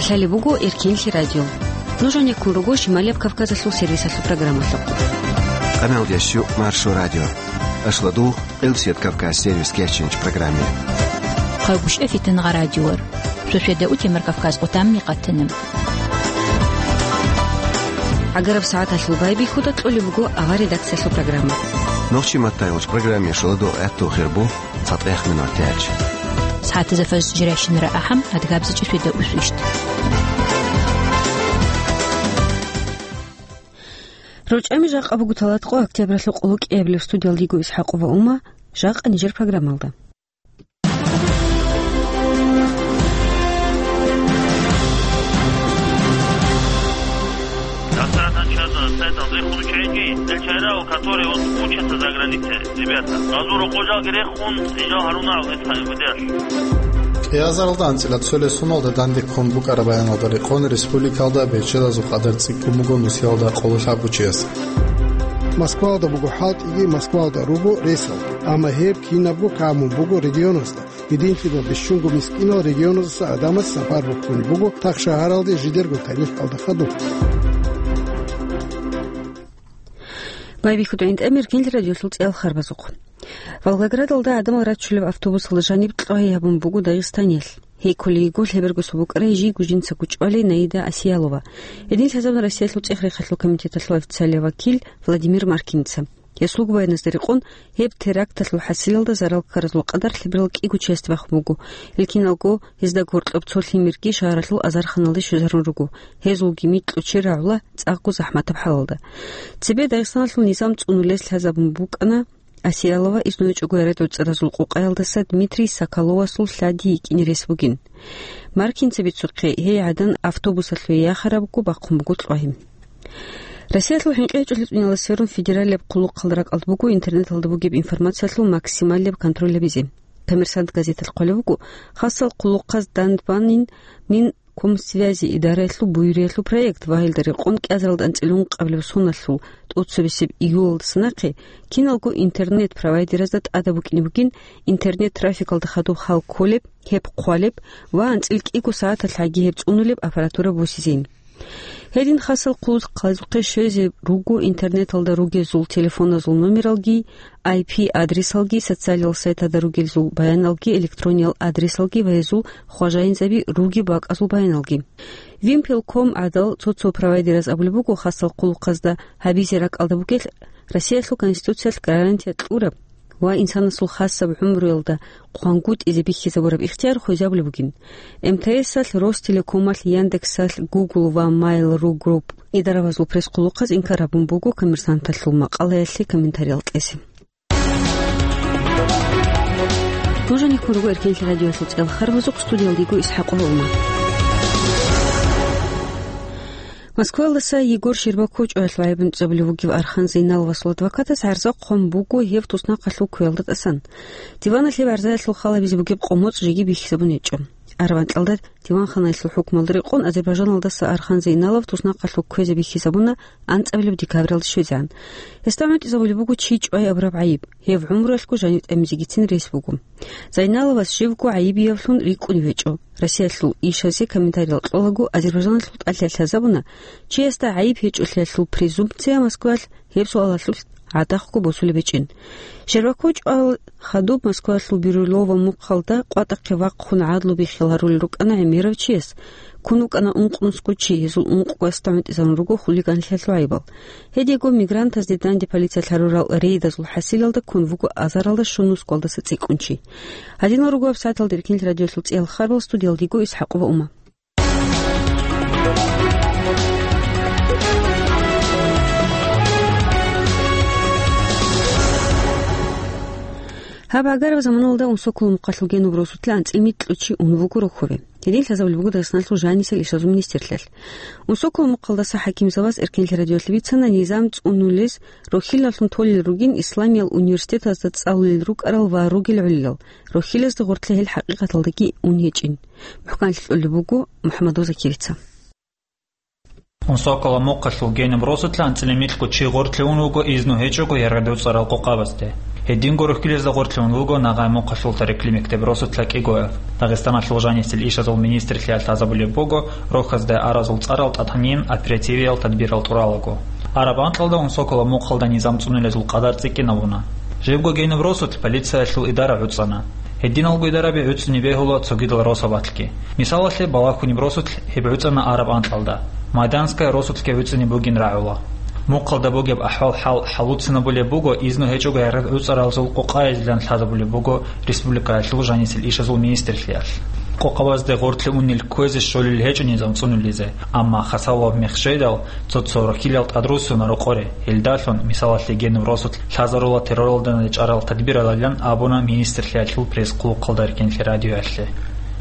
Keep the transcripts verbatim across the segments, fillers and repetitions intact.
Лъалеб буго Эркенлъи радио. Нуж гьанеккун руго Шималияб Кавказалъул сервисалъул программалъухъ. Къамалдиясю Маршо радио. Ашладу, Къилсият Кавказ сервис кечинч программе. Хъагушев Фитангъа радиор. Шошеда утемар Кавказ къутамми къатана. Агараб сагӀаталъул байбихьуда кьолеб буго авар редакциялъул программа. Нохчи маттайгъуч программе шуладу гӀатту хирбу. ЦатӀех минутач. СагӀатазда фажр жирайщинара ахӀам, адгабзичӀеб шуьда усвищ. РучӀами жакъа буго талатӀкъо октябралъул къоло кӀиабилеб. Студиялдиго ИсхӀакъова Ума, жакъа нижер программалда. Дасадан чаза сайдан рехун чайги, элчайрал, который вот учатся за границей, ребята. Газура кожалги рехун, инжал Харунал, это выдержит. Кьиазаралда анцӀила цолесуналда дандеккун букӀараб баяналда рекъон республикалда бечедазул къадар цӀикӀкӀун буго нусиялда къоло лъабгочияс. Москвалда буго хӀалтӀиги, Москвалда руго ресал, амма гьеб кинабго камун буго регионазда. Гьединлъидал бищунго мискинал регионаздаса гӀадамаз сапар бухьун буго тахшагьаралде жидерго тарихалда хадуб. Байбихьуда гӀинтӀамир гел радиолъул цӀеял харбазухъ. Волгоградалда гӀадамал рачулеб автобусалда жаниб кьвагьи гьабун буго дагъистаниялъ. Гьей кколей йигорлъи бергосул букӀарай жийго жинцаго чӀвалей Наида Асиялова. Гьедин лъазабун Россиялъул цӀех-рехалъул комитеталъул официалияв вакил Владимир Маркинца. Гьесул губайназда рекъон, гьеб теракталъул хӀасилалда зарал ккаразул къадар лъеберал кӀиго чиясде бахун буго. Гьел киналго гьезда гьоркьоб цо лъимерги шагьаралъул азарханалде щвезарун руго. Гьезулги микьго чир рагӀула цӀакъго захӀматаб хӀалалда. Цебе Дагъистаналъул низам цӀунулез лъазабун букӀана Асиялова, изну гьечӀого яратӀоцӀаразул къукъаялдаса Дмитрий Соколовасул лъади йикӀине рес бугин. Маркинца бицухъе, гьей гӀадан автобусалъуве яхарабго бахъун буго кьвагьи. Россиялъул хӀинкъи гьечӀолъи цӀунияла сверун федералияб хъулухъалда ракӀалда буго интернеталда бугеб информациялъул максималияб контроль гьабизе. «Коммерсант» газеталъ хъвалеб буго, хасал хъулухъаз данде бани Минкомсвязи идараялъул буюриялъул проект ва гьелда рекъон кӀиазаралда анцӀила ункъабилеб соналъул тӀоцебесеб июлалдаса нахъе киналго интернет-провайдеразда тӀадаб букӀине бугин интернет-трафикалда хадуб хал кколеб, гьеб хъвалеб ва анцӀила кӀиго сагӀаталъ гьаги гьеб цӀунулеб аппаратура босизейин. Гьедин хасал хъулухъазухъе щвезе руго интернеталда ругезул телефоназул номералги, I P-адресалги, социалиял сайтада ругелзул баяналги, электрониял адресалги ва гьезул хважаинзаби ругеб бакӀазул баяналги. Вимпел ком гӀадал цо-цо провайдераз абулеб буго, хасал хъулухъазда гьабизе ракӀалда бугелъ Россиялъул Конституциялъ гарантия кьураб ва инсанасул хасаб гӀумруялда хъвангутӀизе бихьизабураб ихтияр хвезабулеб бугин. М Т С-алъ, Ростелекомалъ, Яндексалъ, Google ва Mail.ru Group идаравазул пресс-хъулухъаз инкар гьабун буго «Коммерсанталъул» макъалаялъе комментариял кьезе. Нуж гьанеккун руго Эркенлъи радиоялъул цӀеял харбазухъ, студиялдиго ИсхӀакъова Ума. Москваялдаса Егор Щербаков чӀваялъул гӀайиб гӀунтӀизабулев вугев Архан Зейналовасул адвокатас гӀарза хъван буго гьев туснахъалъув кквеялда тӀасан. Диваналъ гьеб гӀарзаялъул хал гьабизе бугеб къо-моцӀ жеги бихьизабун гьечӀо. Араб анкьалда диванханаялъул хӀукмалда рекъон Азербайжаналдаса Архан Зейналов туснахъалъув кквезе бихьизабуна анцӀабилеб декабралда щвезегӀан. Гьесда гӀунтӀизабулеб буго чи чӀвай абураб гӀайиб. Гьев гӀумруялъго жанив тӀамизегицин рес буго. Зайналовас живго гӀайибиявлъун рикӀкӀунев гьечӀо. Россиялъул ишазе комментариял кьолаго, Азербайжаналъул тӀалъи лъазабуна, чиясда гӀайиб гьечӀолъиялъул презумпция Москваялъ гьеб суалалъулъ гӀадахъго босулеб гьечӀин. Щербаков чӀвал хадуб Москваялъул Бирюлево мухъалда къватӀахъе вахъун гӀадлу биххиларулел рукӀана гӀемерав чияс. Ккун вукӀана ункънусго чи, гьезул ункъго гьесда гӀунтӀизарун руго хулиганлъиялъул гӀайибал. Гьединго мигрантазде данде полициялъ гьарурал рейдазул хӀасилалда ккун вуго азаралда щунусго гьалдаса цӀикӀкӀун чи. Гьадинал руго гьаб сагӀаталда Эркенлъи радиоялъул цӀеял харбал, студиялдиго ИсхӀакъова Ума. Гьаб гӀагараб заманалда Унсоколо мухъалъул Генуб росулъа анцӀила микьго чи ун вуго рохьове. Гьедин лъазабулеб буго Дагъистаналъул жанисел ишазул министрлъиялъ. Унсоколо мухъалдаса хӀакимзабаз Эркенлъи радиоялъе бицана низам цӀунулез рохьилаллъун толел ругин исламиял университетазда цӀалулел рукӀарал ва ругел гӀолилал. Рохьилазда гъоркье гьел хӀакъикъаталдаги ун гьечӀин. МухӀканлъи кьолеб буго МухӀаммадов Закирица. Унсоколо мухъалъул Генуб росулъа анцӀила микьго чи гъоркье ун вуго изну гьечӀого яргъадуцӀарал къокъабазде. Гьединго рухьилезда гъоркьлъун вуго Нагъай мухъалъул тарикли мектеб росулъа кӀигояв. Дагъистаналъул жанисел ишазул министрлъиялъ лъазабулеб буго рохьазда аразул цӀарал тӀатанин оперативиял тадбирал тӀуралаго. Араб анкьалда Унсокола мухъалда низам цӀунулезул къадар цӀикӀкӀинабуна. Жибго генуб росулъ полициялъул идара гӀуцӀана. Гьединалго идараби гӀуцӀни бегьула цогидал росабалъги. Мисалалъе, балагьуниб росулъ гьеб гӀуцӀана араб анкьалда. Майданская росулъги гӀуцӀни бугин рагӀула. Мухъалда бугеб ахӀвал-хӀал хӀалуцинабулеб буго изну гьечӀого гӀергъи гӀуцӀаразул къокъаялъилан лъазабулеб буго республикаялъул жанисел ишазул министрлъиялъ. Къокъабазде гъоркье унел кквезе щолел гьечӀо низам цӀунулезе, амма хасалаб мех жейдал, цо-цо рохьилал тӀадрусуна рокъоре, гьелдалъун, мисалалъе, генуб росулъ лъазарула терроралда начӀарал тадбиралилан абуна министрлъиялъул пресс-хъулухъалда Эркенлъи радиоялъе.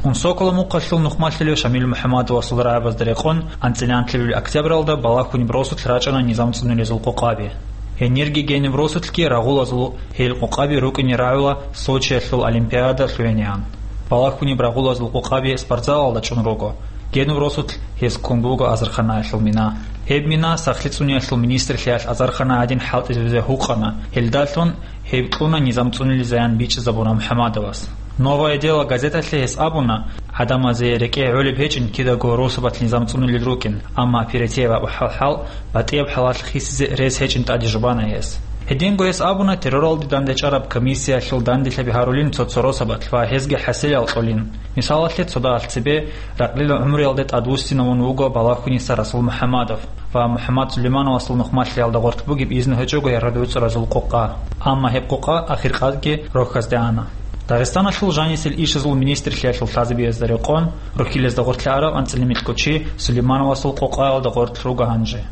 Унсокола мухъалъул нухмалъулев Шамил МухӀаммадовасул рагӀабазда рекъон, анцӀила анлъабилеб октябралда балагьуниб росулъ рачӀана низам цӀунулезул къокъаби. Гьенирги гениб росулъги рагъулазул гьел къокъаби рукӀине рагӀула Сочиялъул Олимпиада лъугӀинегӀан. Балагьуниб рагъулазул къокъаби спортзалалда чӀун руго. Генуб росулъ гьез ккун буго азарханаялъул мина. Гьеб мина сахлъи цӀуниялъул министрлъиялъ азархана гӀадин хӀалтӀизабизе гьукъана, гьелдалъун гьеб кьуна низам цӀунилезаян бичӀчӀизабуна МухӀаммадовас. «Новое дело» газеталъе гьес абуна, гӀадамазе рекӀее гӀолеб гьечӀин кидаго росабалъ низам цӀунулел рукӀин, амма оперативаб хӀал-хӀал, батӀияб хӀалалъ хисизе рес гьечӀин тӀаде жубана гьес. Гьединго гьес абуна, терроралде дандечӀараб комиссиялъул данделъаби гьарулин цо-цо росабалъ ва гьезги хӀасилал кьолин. Мисалалъе, цодаалъ цебе ракълила гӀумруялде тӀадвуссинавун вуго балагьуниса Расул МухӀаммадов ва МухӀаммад Сулеймановасул нухмалъиялда гъоркь бугеб изну гьечӀого гӀергъи гӀуцӀаразул къокъа. Амма гьеб къокъа ахиркъадги рохьазде ана. Дагъистаналъул жанисел ишазул министрлъиялъул лъазабиязда рекъон, рухьилезда гъоркье араб анцӀила микьго чи Сулеймановасул къокъаялда гъоркь руго гьанже.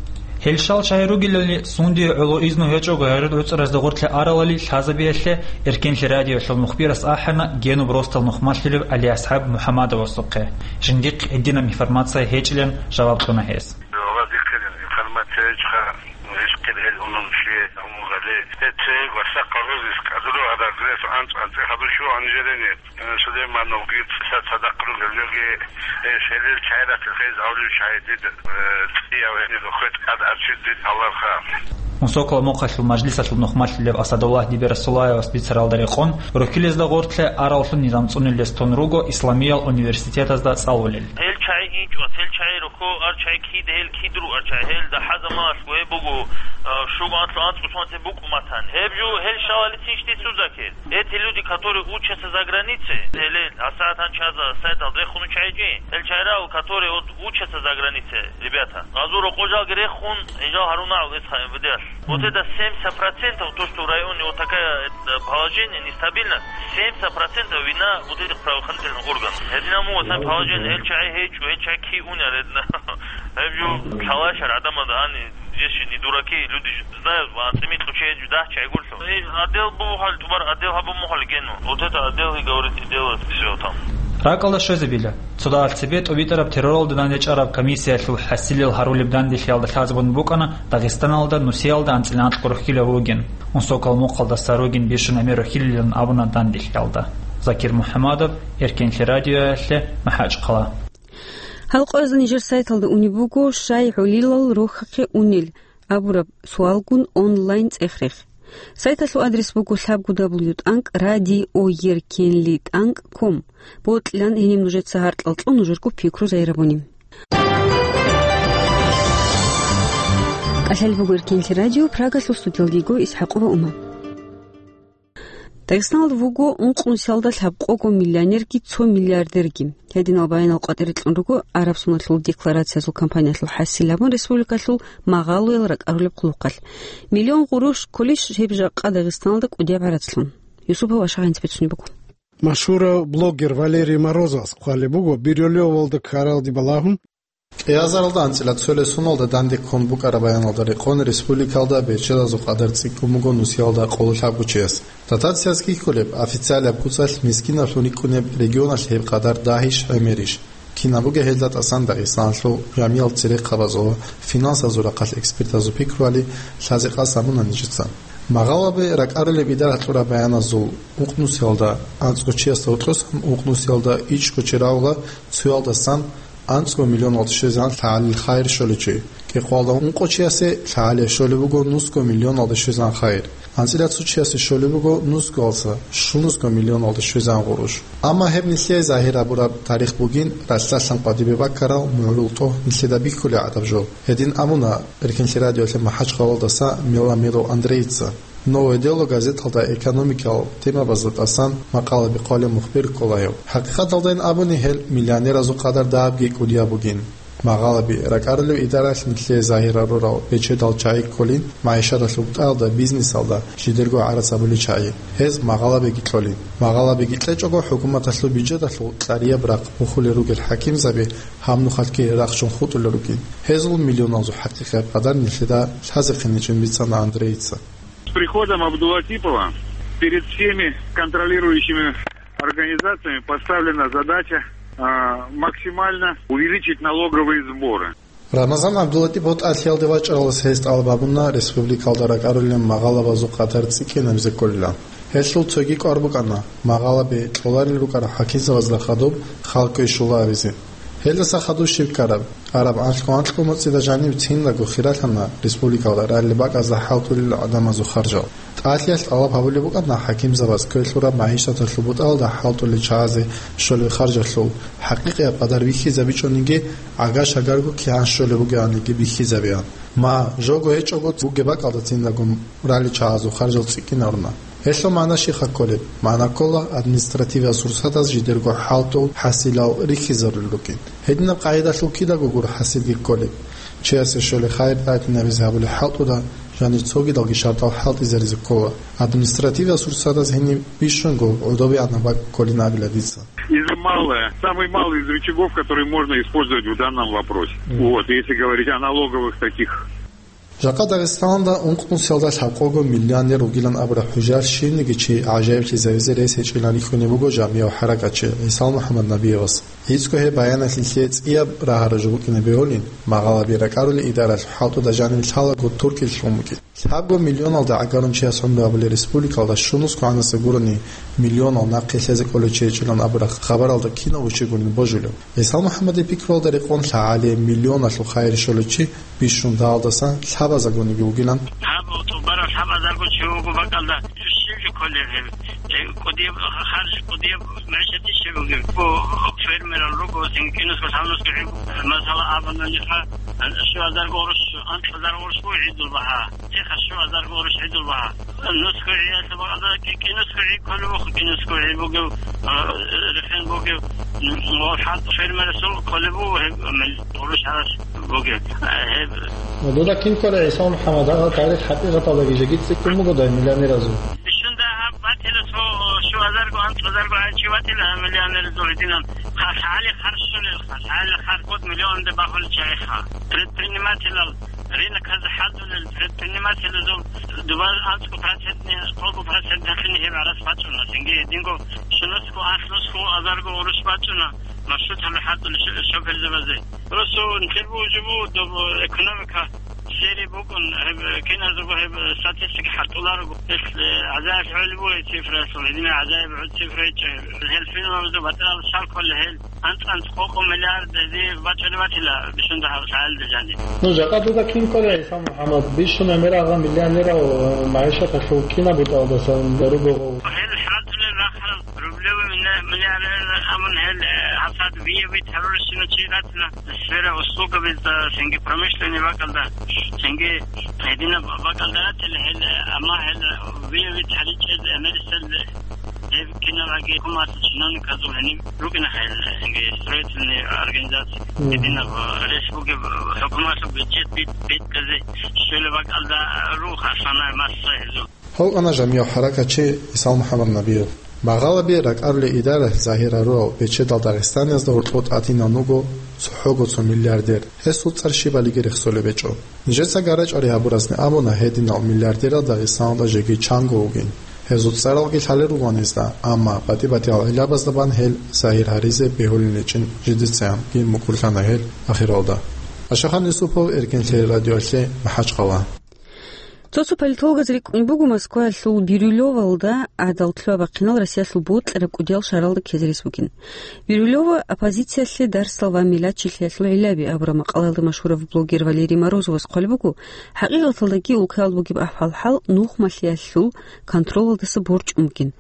Гьел щал чагӀи ругелали, сунде гӀоло изну гьечӀого гӀергъи гӀуцӀаразда гъоркье аралали лъазабиялъе Эркенлъи радиоялъул мухбирас ахӀана генуб росдал нухмалъулев ГӀалиасхӀаб МухӀаммадовасухъе. Жиндихъ гьединаб информация гьечӀилан жаваб кьуна гьес. Гьаб дихъе информация гьечӀха, гьес хъиргьел унун чи гьамулгали. Гьеце гвасахъа гъозис кӀадулев гьадагрес анцӀ-анцӀи гьабурщу гьанжерене. Сулеймановги цӀиса цадахъ ругел жоги, э, шелил чайрат хез гьавлив чай дид, э, цӀияв гьениб хвет тӀад арчид дид гьаларха. Мусокла мухъалъул мажлисалъул нухмалъулев Асадуллагь Дибирасулаевас бицаралда рекъон, рухьилезда гъоркье араллъун низам цӀунилес тун руго Исламиял университетазда цӀалулел. Гьел чай инчӀвас, гьел чай рухьо, ар чай кид, гьел кид руар чай, гьел дагьа заманалъго гьеб буго, а, шугӀанлъу анцӀго сонте букӀуматан. Гьеб жо гьел шалали цинщти цузакел. Эти люди, которые учатся за границей, гьеле асагӀат гьанчаза сайтал рехун чайчи, гьел чайрал, которые вот учатся за границей, ребята. Гъазур рокъожалги рехун, инжал гьарунагӀул эс хай МВД-алъ. Вот это семьдесят процентов, то, что в районе вот такая, э, положение нестабильно, семьдесят процентов вина вот этих правоохранительных органов. Гьединал мугъасан положение, гьел чай гьечӀо, гьел чай ки уняр гьединал. Гьеб жо лъалашар гӀадамазда гьани. Здесь же не дураки, люди же знают, ва анцӀимикь учеет, жудагь чайгурлъу. Э, отдел бухал, тубар отдел гьабун мухал гену. Вот это отдел и говорит, и делает всё там. РакӀалда щвезабила. Цодаалъ цебе тӀубитӀараб терроралда дандечӀараб комиссиялъул хӀасилел гьарулеб данделъиялда лъазабун букӀана Дагъистаналда нусиялда анцӀила анкьго рухьилав вугин, унсокал мухъалдаса ругин бищун гӀемер рухьилилан абуна данделъиялда. Закир МухӀамадов, Эркенлъи радиоялъе, МахӀачхъала. Гьал къоязда нижер сайталда унеб буго, щай гӀолилал рохьахъе унел абураб суалгун онлайн цӀех-рех. Сайталъул адрес буго лъабго дабл ю тӀанкӀ радио еркенли тӀанкӀ ком. Бокьилан гьениб нужеца гьаркьал кьун нужерго пикру зайрабуни. КӀалъалеб буго Эркенлъи радио, Прагалъул студиялдего ИсхӀакъова Ума. Дагъистаналда вуго ункънусиялда лъабкъого миллионерги цо миллиардерги. Гьединал баянал къватӀире кьун руго араб соналъул декларациязул кампаниялъул хӀасил абун республикалъул магъалоял ракӀарулеб хъулухъалъ. Миллион гъурущ кколищ гьеб жакъа Дагъистаналда кӀудияб гӀарацлъун? Юсупов Ашагъ гьанцӀ бицунеб буго. Машгьурав блогер Валерий Морозовас хъвалеб буго, Бирюлевалда ккаралде балагьун, кӀиазаралда анцӀила цолесуналда данде ккун букӀараб баяналда рекъон республикалда бечедазул къадар цӀикӀкӀун буго нусиялда къоло лъабго чияс. Дотациялъ кколеб официалаб куцалъ мискинаблъун рикӀкӀунеб регионалъ гьеб къадар дагьищ, гӀемерищ? Кинаб буго гьелда тӀасан Дагъистаналъул жамиял церехъабазул ва финансазул рахъалъ экспертазул пикруялъе лъазе къасд гьабуна нижеца. Магъалаби ракӀарулеб идаралъ кьураб баяназул ункънусиялда анцӀго чиясда гьоркьосан ункънусиялда ичӀго чи рагъула цоялдасан анцӀго миллионалде щвезегӀан лъагӀалил хайир щоличи. КӀикъоялда ункъо чиясе лъагӀалие щолеб буго нусго миллионалде щвезегӀан хайир. АнцӀила цо чиясе щолеб буго нусгоялдаса щунусго миллионалде щвезегӀан гъурущ. Амма гьеб нилъее загьир гьабураб тарих бугин, ралъдалъан къватӀибе баккарал мугӀрул тӀогь нилъеда бихьулеб гӀадаб жо. Гьедин абуна Эркенлъи радиоялъе МахӀачхъалаялдаса Миламиров Андрейица. «Новое дело» газеталда экономикал темабазда тӀасан макъалаби хъвалев мухбир ккола гьев. ХӀакъикъаталдайин абуни, гьел миллионеразул къадар дагьабги кӀудияб бугин. Магъалаби ракӀарулев идаралъ нилъее загьир гьарурал бечедал чагӀи кколин, магӀишаталъул бутӀаялда, бизнесалда жидерго гӀарац гьабулел чагӀи. Гьез магъалабиги кьолин. Магъалабиги кьечӀого, хӀукуматалъул бюджеталъул кьарияб рахъ бухулел ругел хӀакимзаби гьаб нухалъги рахчун хутӀулел ругин. Гьезул миллионалзул хӀакъикъияб къадар нилъеда лъазехъиничӀин бицана Андрейица. С приходом Абдулатипова перед всеми контролирующими организациями поставлена задача, а, максимально увеличить налоговые сборы. Рамазан ГӀабдулатипов тӀалъиялде вачӀаралдаса гьес тӀалаб гьабуна республикалда ракӀарулел магъалабазул къадар цӀикӀкӀинабизе кколилан. Гьелъул цоги кӀвар букӀана магъалаби кьоларел рукӀарал хӀакимзабазда хадуб халкъ квешула абизе. Гьелдаса хадуб щиб ккараб? Араб анлъго-анкьго моцӀида жаниб циндаго хиралъана республикалда ралли бакӀазда хӀалтӀулел гӀадамазул харжал. ТӀалъиялъ тӀалаб гьабулеб букӀана хӀакимзабаз квелъураб магӀишаталъул бутӀалда хӀалтӀулел чагӀазе щолеб харжалъул хӀакъикъияб къадар бихьизабичӀониги, гӀага-шагарго кигӀан щолеб бугеаниги бихьизабеян. Ма, жого гьечӀого бугеб бакӀалда циндаго ралли чагӀазул харжал цӀикӀкӀинарна. Гьелъул магӀна щибха кколеб? МагӀна ккола, административиял сурсатаз жидерго хӀалтӀул хӀасилал рихьизарулел рукӀин. Гьединаб къагӀидалъул кидаго гуро хӀасилги кколеб. Чиясе щолеб хайир тӀадегӀанабизе гьабулеб хӀалтӀуда, жанир цогидалги шартӀал хӀалтӀизаризе ккола. Административиял сурсатаз гьениб бищунго гӀодобегӀанаб бакӀ кколин абила дица. Из малое, самый малый из рычагов, который можно использовать в данном вопросе. Мгм. Вот, если говорить о налоговых таких. Жакъа Дагъистаналда ункънусиялда лъабкъого миллионер вугилан абураб хӀужар щивниги чи гӀажаиблъизавизе рес гьечӀилан рихьунеб буго жамигӀав хӀаракатчи ГӀисал МухӀаммад Набиевас. ГӀицӀго гьеб баяналъ нилъее цӀияб рагьараб жо букӀине бегьулин, магъалаби ракӀарулел идаралъ хӀалтӀуда жаниб лъалаго туркилъун букӀин. Лъабго миллионалда гӀагарун чияс гӀумру гьабулел республикалда щунусго гӀанаса гурони миллионал нахъе лъезе кӀолев чи гьечӀилан абураб хабаралда кинав вугев гурин божулев. ГӀисал МухӀаммадил пикруялда рекъон лъагӀалие миллионалъул хайир щолев чи бищун дагьалдасан лъабазаргониги вугилан. Гьаб тӀубараб лъабазарго чи вуго бакӀалда щиб жо кколеб гьеб? Э, кӀудияб харж, кӀудияб мегӀишат щиб бугеб? Фермерал руго, цинги киназго лъабнусго гӀи-, масала, абуна нижеца, щуазарго гъурущ, анцӀазарго гъурущ буго гӀидул багьа. Цеха щуазарго гъурущ гӀидул багьа. Нусго гӀиялъул багьа, кӀи-, кӀинусго гӀи кколеб буго, кӀинусго гӀи бугев, а, рехен бугев, м, ва хӀант фермерасул кколеб буго гьеб, м, гъурущ гьараш бугев. А, гьеб. Дуда кин кколеб, ГӀисал МухӀаммад, гьаб тарих хӀакъикъаталдаги жеги цӀикӀкӀун бугодай миллионеразул? Бищунда гьаб батила цо щуазарго, анцӀазарго гӀайчи батила миллионераз гьединан. Ха-, лъагӀали харж щолелха, лъагӀали харж кӀод миллионде бахулел чагӀиха. Предпринимателал, рыноказ хӀалтӀулел предпринимателазул дуба анцӀго процентни, кӀолго процент гьелъин гьеб гӀарац бачӀуна. Цинги гьединго щунусго, анлънусго, азарго гъурущ бачӀуна маршруталда хӀалтӀулел шо-, шоферзабазе. Просто нилъер бугеб жо буго, доб экономика сери букӀун, гьеб киназего гьеб статистика хӀалтӀуларого. Гьелъ, э, гӀазаялъ гӀолеб буго цифраялъул, гьединаб гӀазаяб гӀо-, цифра гьечӀо. Гьел филмабазда батӀарал щал кколей гьел, анцӀ-анцӀ къо-къо миллиард гьезие бачӀунеб батила бищунда гьаб лъагӀалда жаниб. Ну, жакъа дуда кин кколеб, ГӀисал МухӀаммад, бищун гӀемер гьаб миллионерал, э, магӀишаталъул кинаб бутӀалдасан руго гъов? Гьел хӀалтӀулел рахъарал рублевый милли-, миллионер абун гьел, э, гьабсагӀат виявит гьарурщина чи ратила. Сфера услугабазда, цинги промышленный бакӀалда, цинги гьединаб бакӀалда ратила гьел, амма гьел виявит гьаричӀел гӀемерисел гьеб кинабги хӀукуматалъул чиновниказул гьениб рукӀина гьел, цинги строительный организация. Мгм. Гьединаб рес бугеб хӀукуматалъул бюджет бит-, битӀизе щолеб бакӀалда руго основная масса гьезул. Гьав вукӀана жамигӀав хӀаракатчи ГӀисал МухӀаммад Набиев. Магъалаби ракӀарулел идаралъ загьир гьарурал бечедал Дагъистаниязда гьоркьоб тӀадинан вуго цохӀого цо миллиардер. Гьесул цӀар щибалиги рехсолеб гьечӀо. Нижеца гарачӀари гьабуразни абуна, гьединал миллиардерал Дагъистаналда жеги чанго вугин. Гьезул цӀаралги лъалел ругоан гьезда, амма батӀи-батӀиял гӀиллабазда бан гьел загьир гьаризе бегьулин гьечӀин жидецайин мукӀурлъана гьел ахиралда. Ашахан Юсупов, Эркенлъи радиоялъе, МахӀачхъала. Цо-цо политологаз рикӀкӀунеб буго Москваялъул Бирюлевалда гӀадал лъугьа-бахъинал Россиялъул бокьараб кӀудиял шагьаралда ккезе рес бугин. Бирюлева оппозициялъе дарсал ва миллатчилъиялъул гӀиллаби абураб макъалаялда машгьурав блогер Валерий Морозовас хъвалеб буго, хӀакъикъаталдаги улкаялда бугеб ахӀвал-хӀал нухмалъиялъул контролалдаса борчӀун бугин.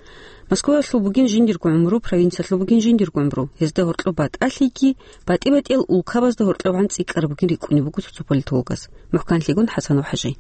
Москваялъул бугин жиндирго гӀумру, провинциялъул бугин жиндирго гӀумру. Гьезда гьоркьоб батӀалъиги, батӀи-батӀиял улкабазда гьоркьоб гӀан цӀикӀкӀараб бугин рикӀкӀунеб буго цо-цо политологаз. МухӀканлъигун ХӀасанов ХӀажи.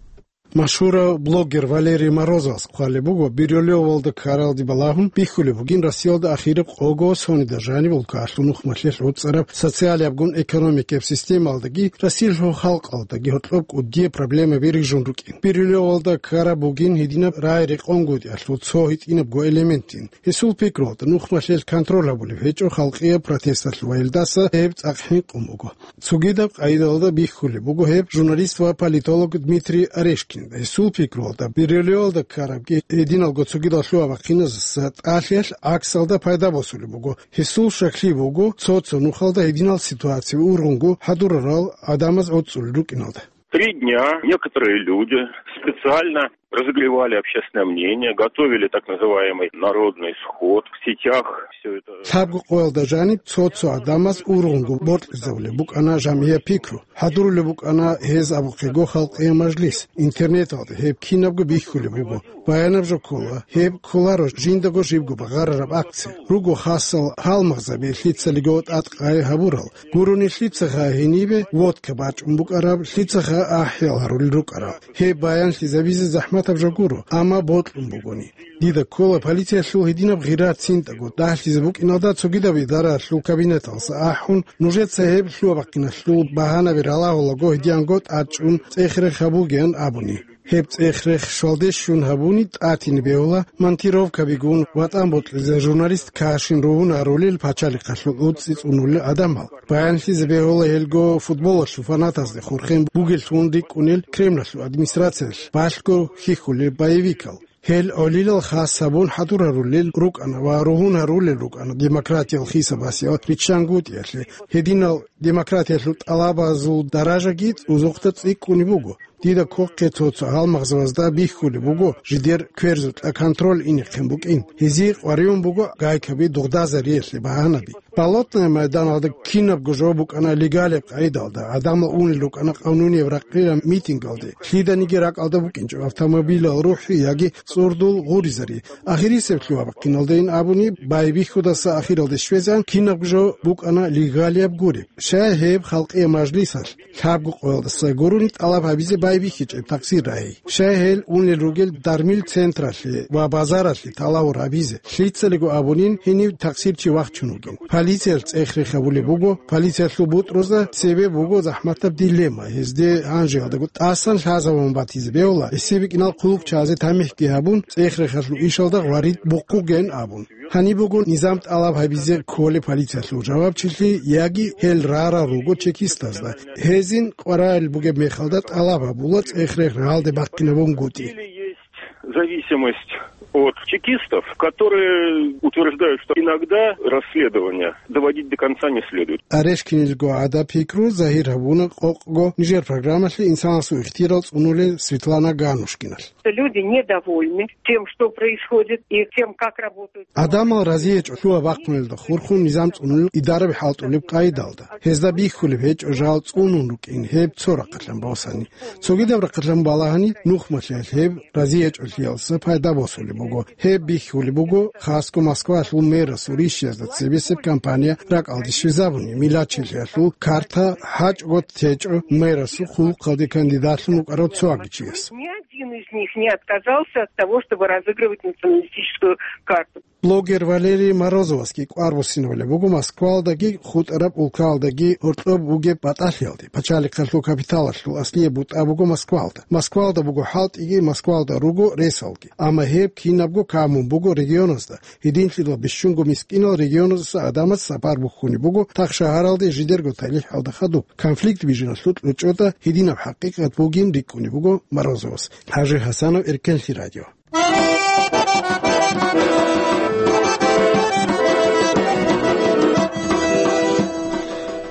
Машгьурав блогер Валерий Морозовас хъвалеб буго, Бирюлевалда ккаралде балагьун бихьулеб бугин Россиялда ахираб къого сонида жаниб улкаялъул нухмалъиялъ гӀуцӀараб социалиябгун экономикияб системалдаги Россиялъул халкъалдаги гьоркьоб кӀудияб проблемаби рижун рукӀин. Бирюлевалда ккараб бугин гьединаб рагӀи-рекъонгутӀиялъул цо гьитӀинабго элементин. Гьесул пикруялда, нухмалъиялъ контроль гьабулеб гьечӀо халкъияб протесталъ ва гьелдаса гьеб цӀакъ хӀинкъун буго. Цогидаб къайдалда бихьулеб буго гьеб журналист ва политолог Дмитрий Орешкин. Гьесул пикруялда, Бирюлевалда ккарабги гьединалго цогидал лъугьа-бахъиназаса тӀалъиялъ гӀаксалда пайда босулеб буго. Гьесул щаклъи буго, цо-цо нухалда гьединал ситуация ургъунго хӀадурарал гӀадамаз гӀуцӀулел рукӀиналда. Три дня некоторые люди специально разогревали общественное мнение, готовили так называемый народный сход. В сетях все это. Лъабго къоялда жаниб цо-цо гӀадамаз ургъунго бокьизабулеб букӀана жамгӀияб пикру. ХӀадурулеб букӀана гьез абухъего халкъияб мажлис. Интернеталда гьеб кинабго бихьулеб буго. Баянаб жо ккола, гьеб кколаро жиндаго жибго багъарараб акция. Руго хасал гьалмагъзаби лъицалиго тӀадкъай гьабурал. Гурони лъицаха гьенибе водка бачӀун букӀараб, лъицаха ахӀиял гьарулел рукӀарал. Гьеб баянлъизабизе захӀматаб жо гуро, амма бокьун бугони. Дида ккола полициялъул гьединаб гъира цинтӀаго дагьлъизе букӀиналда цогидаб идараялъул кабинеталса ахӀун, нужеца гьеб лъугьа-бахъиналъул багьанаби ралагьулаго гьединго тӀадчӀун цӀех-рех гьабугеян абуни. Гьеб цӀех-рех щвалде щун гьабуни тӀатине бегьула монтировкабигун ватӀан бокьизе журналист Кашин ругьун гьарулел пачалихъалъул уцӀцӀи цӀунулел гӀадамал. Баянлъизе бегьула гьелго футболалъул фанатазде хурхен бугеллъун рикӀкӀунел Кремлалъул администрациялъ балъго хьихьулел боевикал. Гьел гӀолилал хас гьабун хӀадур гьарулел рукӀана ва ругьун гьарулел рукӀана демократиял хисабасе ва риччангутӀиялъе. Гьединал демократиялъул тӀалабазул даражаги цӀузухъда цӀикӀкӀунеб буго. Дида ккохъе цо-цо гьалмагъзабазда бихьулеб буго жидер кверзукьа контроль инехъин букӀин. Гьезие къваригӀун буго гайкаби дугъдазариялъе багьанаби. Болотная майданалда кинабго жо букӀана легалияб къайдалда, гӀадамал унел рукӀана къанунияб ракъира митингалде, лъиданиги ракӀалда букӀинчӀо автомобилал рухӀи яги цӀурдул гъуризари. Ахирисеблъи ва бахъиналдайин абуни, байбихьудаса ахиралде щвезегӀан кинабго жо букӀана легалияб гуреб. Щай гьеб халкъияб мажлисалъ лъабго къоялдаса гурони тӀалаб гьабизе байбихьичӀеб такъсир рагьи? Щай гьел унел ругел дармил централъе ва базаралъе талавур гьабизе? Лъицалиго абунин, гьенив такъсирчи вахчун вугин. Полициялъ цӀех-рех гьабулеб буго, полициялъул бутӀрузда цебе буго захӀматаб дилемма, гьезде гьанжеялдаго тӀасан лъазабун батизе бегьула, гьесие бикӀинал хъулухъчазе тамихӀги гьабун, цӀех-рехалъул ишалда гъварид бухъугеян абун. Гьаниб буго низам тӀалаб гьабизе кколеб полициялъул жавабчилъи яги гьел рарал руго чекистазда. Гьезин къваригӀел бугеб мехалда тӀалаб гьабула цӀех-рех рагӀалде бахъинабунгутӀи. Или есть зависимость от чекистов, которые утверждают, что иногда расследование доводить до конца не следует. Орешкинилго гӀада пикру загьир гьабуна къокъго нижер программалъе инсанасул ихтияр цӀунулел Светлана Ганушкиналъ. Люди недовольны тем, что происходит, и тем, как работают. ГӀадамал разиячӀо лъугьа-бахъунелда хурхун низам цӀунулел идараби хӀалтӀулеб къайдалда. Гьезда бихьулеб гьечӀо жал цӀунун рукӀин гьеб цо рахъалъан босани. Цогидаб рахъалъан балагьани, нухмалъиялъ гьеб разиячӀолъиялса пайда босулеб буго. Гьеб бихьулеб буго хасго Москвалъул мэрасул рищиязда цебесеб кампания ракӀалде щвезабуни, миллатчилъиялъул карта хӀачӀго течӀо мэрасул хъулухъалде кандидатлъун вукӀарав цо агичияс. Ни один из них не отказался от того, чтобы разыгрывать националистическую карту. Блогер Валерий Морозовасги кӀвар буссинабулеб буго Москвалдаги хутӀараб улкалдаги гьоркьоб бугеб батӀалъиялде. Пачалихъалъул капиталалъул аслияб бутӀа буго Москвалда. Москвалда буго хӀалтӀиги, Москвалда руго ресалги. Амма гьеб кинабго камун буго регионазда. Гьединлъидал бищунго мискинал регионаздаса гӀадамаз сапар бухьунеб буго тахшагьаралде жидерго талихӀалда хадуб. Конфликт бижиналъул кьучӀода гьединаб хӀакъикъат бугин рикӀкӀунеб буго Морозовас. ХӀажи ХӀасанов, Эркенлъи радио.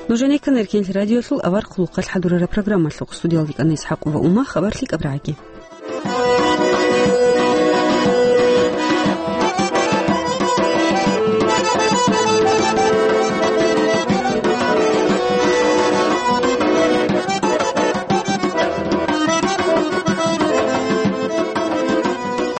Нужеца ккана Эркенлъи радиолъул авар хъулухъалъ хӀадурараб программалъухъ. Студиялда ккана ИсхӀакъова Ума, хабар лъикӀаб рагӀаги.